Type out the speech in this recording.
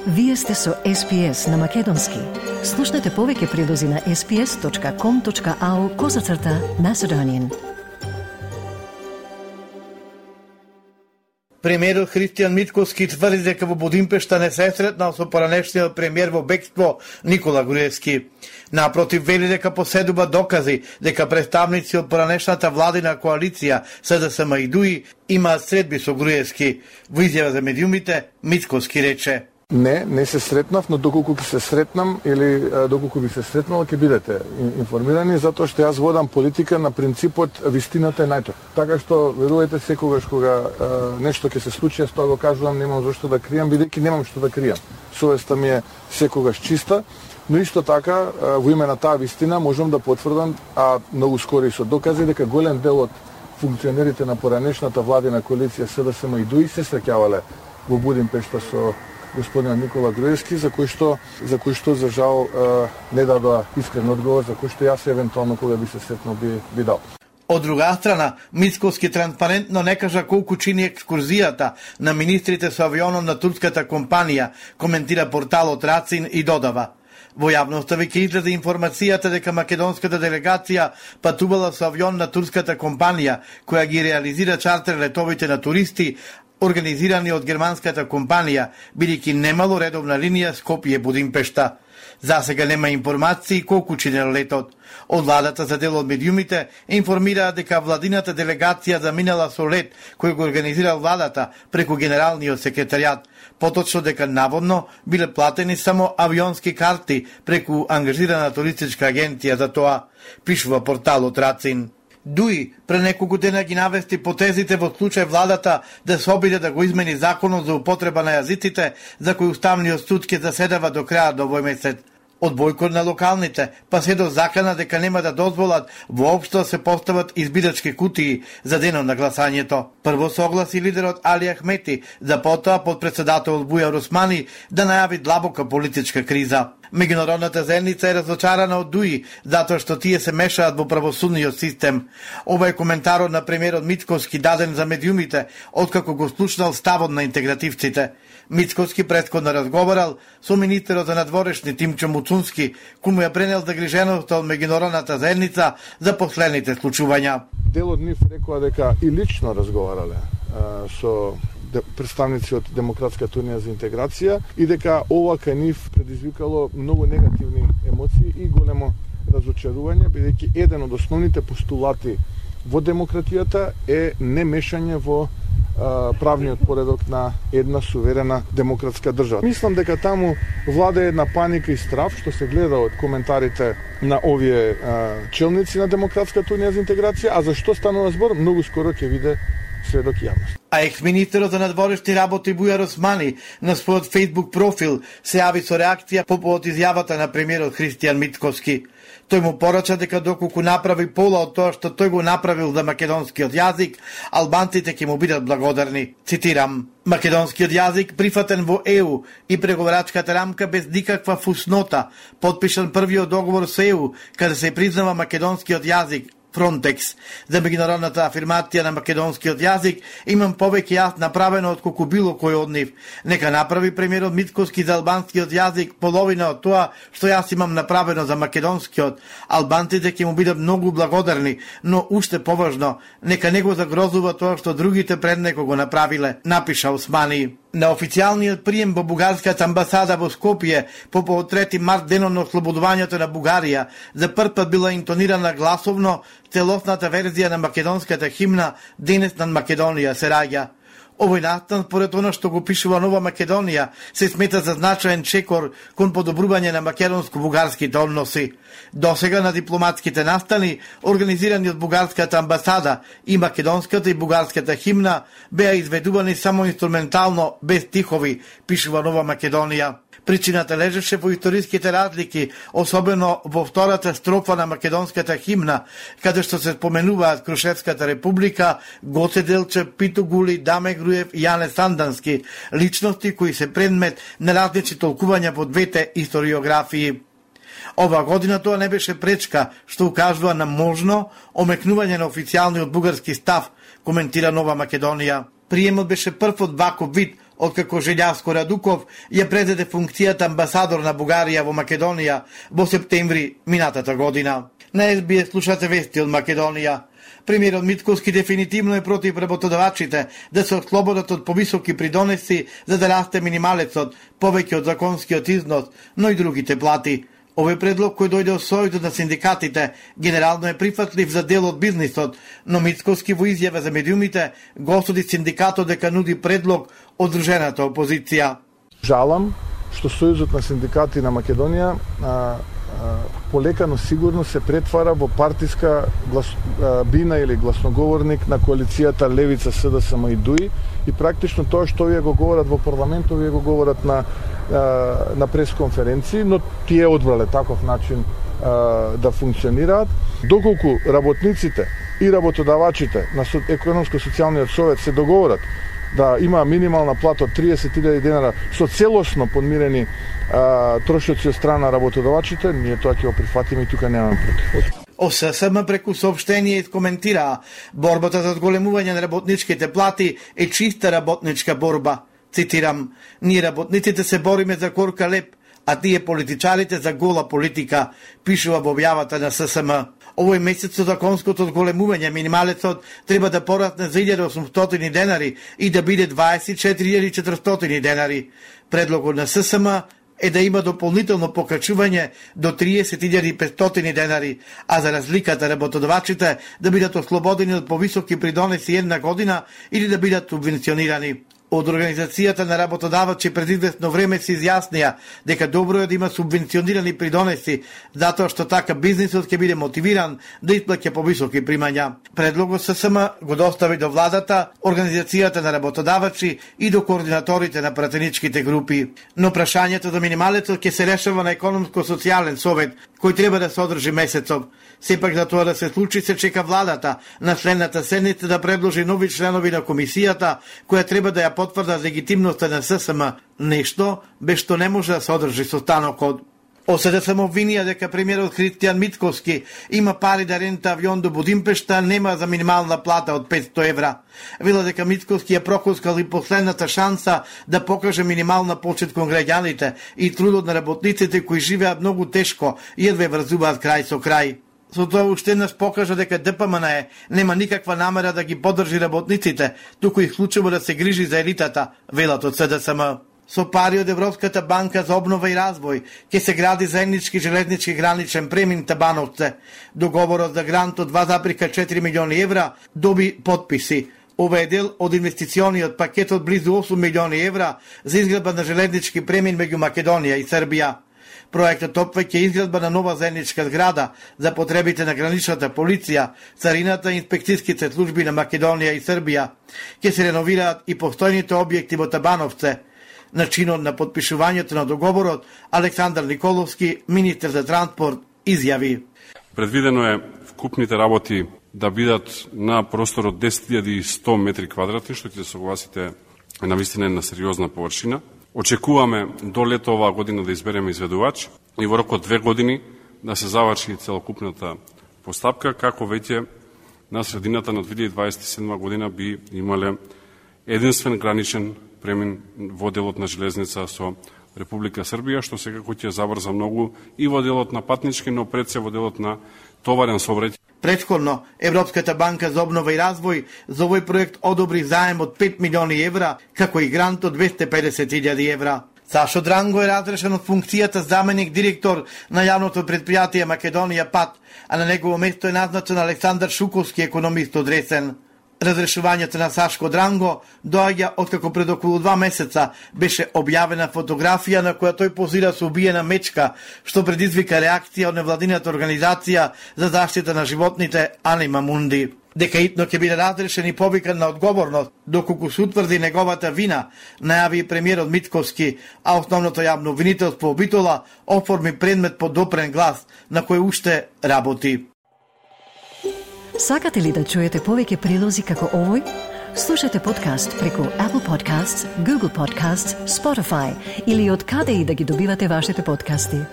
Вие сте со SPS на Македонски. Слушнете повеќе прилози на sps.com.au/Macedonian. Премиерот Христијан Мицкоски тврди дека во Будимпешта не се сретнал со поранешниот премиер во бегство Никола Груевски. Напротив, вели дека поседува докази дека представници од поранешната владина коалиција СДСМ и ДУИ имаат средби со Груевски. Во изјава за медиумите, Мицкоски рече: Не се сретнав, но доколку ќе се сретнам или доколку би се сретнал, ќе бидете информирани, затоа што јас водам политика на принципот вистината е најтој. Така што верувајте, секогаш кога нешто ќе се случи, јас тоа го кажувам, немам зашто да кријам, бидејќи немам што да кријам. Совеста ми е секогаш чиста, но исто така во име на таа вистина можам да потврдам, а многу скоро и со докази, дека голем дел од функционерите на поранешната владина коалиција СДСМ и ДУИ се среќавале во Будимпешта со господинот Никола Груевски, за кој што за жал не дадоа искрен одговор, за кој што јас евентуално кога би се сретнал би дал. Од друга страна, Мицкоски транспарентно не кажа колку чини екскурзијата на министрите со авионом на турската компанија, коментира порталот Рацин и додава: во јавноста веќе излезе информацијата дека македонската делегација патувала со авион на турската компанија, која ги реализира чартер летовите на туристи, организирани од германската компанија, бидејќи немало редовна линија Скопје-Будимпешта. Засега нема информации колку чинел летот. Од владата за дел од медиумите информираа дека владината делегација заминала со лет кој го организирал владата преку генералниот секретаријат, поточно дека наводно биле платени само авионски карти преку ангажирана туристичка агенција за тоа, пишува порталот Рацин. ДУИ пре неколку дена ги навести потезите во случај владата да се обиде да го измени законот за употреба на јазиците, за кој Уставниот суд ќе заседава до крајот до овој месец. Од бојкот на локалните, па се до закана дека нема да дозволат воопшто да се постават избирачки кутии за денот на гласањето. Прво согласи лидерот Али Ахмети, за потоа подпредседателот Бујар Османи да најави длабока политичка криза. Меѓународната заедница е разочарана од ДУИ, затоа што тие се мешаат во правосудниот систем. Ова е коментарот на премиерот Мицкоски даден за медиумите, откако го слушнал ставот на интегративците. Мицкоски претходно разговарал со министерот за надворешни Тимчо Муцунски, кој му ја пренел загриженоста од меѓународната заедница за последните случувања. Дел од нив рекоа дека и лично разговарале со представници од Демократската унија за интеграција и дека ова кај нив предизвикало многу негативни емоции и големо разочарување, бидејќи еден од основните постулати во демократијата е немешање во правниот поредок на една суверена демократска држава. Мислам дека таму влада една паника и страв, што се гледа од коментарите на овие челници на Демократската унија за интеграција, а за што станува збор, многу скоро ќе види сведок јавност. А екс-министерот за надворешни работи Бујар Османи на својот Facebook профил се јави со реакција по повод изјавата на премиерот Христијан Мицкоски. Тој му порача дека доколку направи пола од тоа што тој го направил за македонскиот јазик, албанците ќе му бидат благодарни. Цитирам: македонскиот јазик прифатен во ЕУ и преговарачката рамка без никаква фуснота, потпишан првиот договор со ЕУ, каде се признава македонскиот јазик, Фронтекс. За меѓународната афирмација на македонскиот јазик имам повеќе јас направено од колку било кој од нив. Нека направи премиерот Мицкоски за албанскиот јазик половина од тоа што јас имам направено за македонскиот. Албанците ќе му бидат многу благодарни, но уште поважно, нека не го загрозува тоа што другите пред него го направиле, напиша Османи. На официјалниот прием во бугарската амбасада во Скопје по повод 3 март, денот на ослободувањето на Бугарија, за прв пат била интонирана гласовно целосната верзија на македонската химна "Денес над Македонија се раѓа". Овој настан, според она што го пишува Нова Македонија, се смета за значаен чекор кон подобрување на македонско-бугарските односи. Досега на дипломатските настани, организирани од бугарската амбасада, и македонската и бугарската химна беа изведувани само инструментално, без стихови, пишува Нова Македонија. Причината лежеше во историските разлики, особено во втората строфа на македонската химна, каде што се споменуваат Крушевската република, Гоце Делчев, Пито Гули, Даме Груев и Јане Сандански, личности кои се предмет на различни толкувања во двете историографии. Ова година тоа не беше пречка, што укажува на можно омекнување на официјалниот бугарски став, коментира Нова Македонија. Приемот беше прв од ваков вид откако Желјаско Радуков ја презеде функцијата амбасадор на Бугарија во Македонија во септември минатата година. На СБС слушате вести од Македонија. Премиерот Митковски дефинитивно е против работодавачите да се ослободат од повисоки придонеси за да расте минималецот, повеќе од законскиот износ, но и другите плати. Овој предлог кој дојде од сојузот на синдикатите генерално е прифатлив за дел од бизнисот, но Митковски во изјава за медиумите го осуди синдикатот дека нуди предлог од здружената опозиција. Жалам што сојузот на синдикати на Македонија полека, но сигурно се претвара во партиска бина или гласноговорник на коалицијата Левица, СДСМ и ДУИ, и практично тоа што вие го говорат во парламентот, вие го говорат на пресконференции, но тие одбрале таков начин да функционираат. Доколку работниците и работодавачите на економско-социјалниот совет се договорат да има минимална плата од 30.000 денара со целосно подмирени трошоци од страна работодавачите, ние тоа ќе го прифатиме и тука немаме против. ОССМ преку соопштение искоментираа борбата за зголемување на работничките плати е чиста работничка борба. Цитирам: "Ние работниците се бориме за корка леп, а тие политичарите за гола политика", пишува во објавата на ССМ. Овој месец со законското зголемување минималецот треба да порасне за 1.800 денари и да биде 24.400 денари. Предлогот на ССМ е да има дополнително покачување до 30.500 денари, а за разликата работодавачите да бидат ослободени од повисоки придонеси една година или да бидат субвенционирани. Од Организацијата на работодавачи пред известно време се изјаснија дека добро е да има субвенционирани придонеси, затоа што така бизнисот ќе биде мотивиран да исплаќа повисоки примања. Предлогот ССМ го достави до владата, Организацијата на работодавачи и до координаторите на пратеничките групи. Но прашањето за минималецот ќе се решава на економско-социјален совет, кој треба да се одржи месецов. Сепак за тоа да се случи се чека владата на следната седница да предложи нови членови на комисијата, која треба да ја потврда легитимноста на ССМ, нешто без што не може да се одржи состанокот. ОСДСМ обвинија дека премиерот Христијан Митковски има пари да рента авион до Будимпешта, нема за минимална плата од 500 евра. Вела дека Митковски ја прокоскал и последната шанса да покаже минимална почет кон граѓаните и трудот на работниците кои живеат многу тешко и едва врзуваат крај со крај. Со тоа уште еднаш покажа дека ДПМН нема никаква намера да ги поддржи работниците, туку исклучиво да се грижи за елитата, велат од СДСМ. Со пари од Европската банка за обнова и развој ќе се гради заеднички железнички граничен премин Табановце. Договорот за грант од 2,4 милиони евра доби подписи. Ова е дел од инвестициониот пакет од близу 8 милиони евра за изградба на железнички премин меѓу Македонија и Србија. Проектот опфаќа изградба на нова заедничка зграда за потребите на граничната полиција, царината и инспекцијските служби на Македонија и Србија. Ќе се реновираат и постојните објекти во Табановце. На чинот на подпишувањето на договорот, Александар Николовски, министер за транспорт, изјави: "Предвидено е вкупните работи да бидат на простор од 10.100 метри квадратни, што ќе се согласите на вистина на сериозна површина. Очекуваме до лето оваа година да избереме изведувач и во рок од 2 години да се заврши целокупната постапка, како веќе на средината на 2027 година би имале единствен граничен премин во делот на железница со Република Србија, што секако ќе забрза многу и во делот на патнички, но пред се во делот на товарен сообраќај. Претходно, Европската банка за обнова и развој за овој проект одобри заем од 5 милиони евра, како и грант од 250.000 евра. Сашо Дранго е разрешен од функцијата заменик директор на јавното предпријатие Македонија ПАТ, а на негово место е назначен Александар Шуковски, економист од Ресен. Разрешувањето на Сашко Дранго доаѓа откако пред околу 2 месеца беше објавена фотографија на која тој позира со убиена мечка, што предизвика реакција од невладината организација за заштита на животните Анима Мунди. Дека итно ќе биде разрешен и повикан на одговорност, доколку се утврди неговата вина, најави и премиерот Митковски, а основното јавно обвинителство Обитола оформи предмет по допрен глас на кој уште работи. Сакате ли да чуете повеќе прилози како овој? Слушате подкаст преку Apple Podcasts, Google Podcasts, Spotify или од каде и да ги добивате вашите подкасти.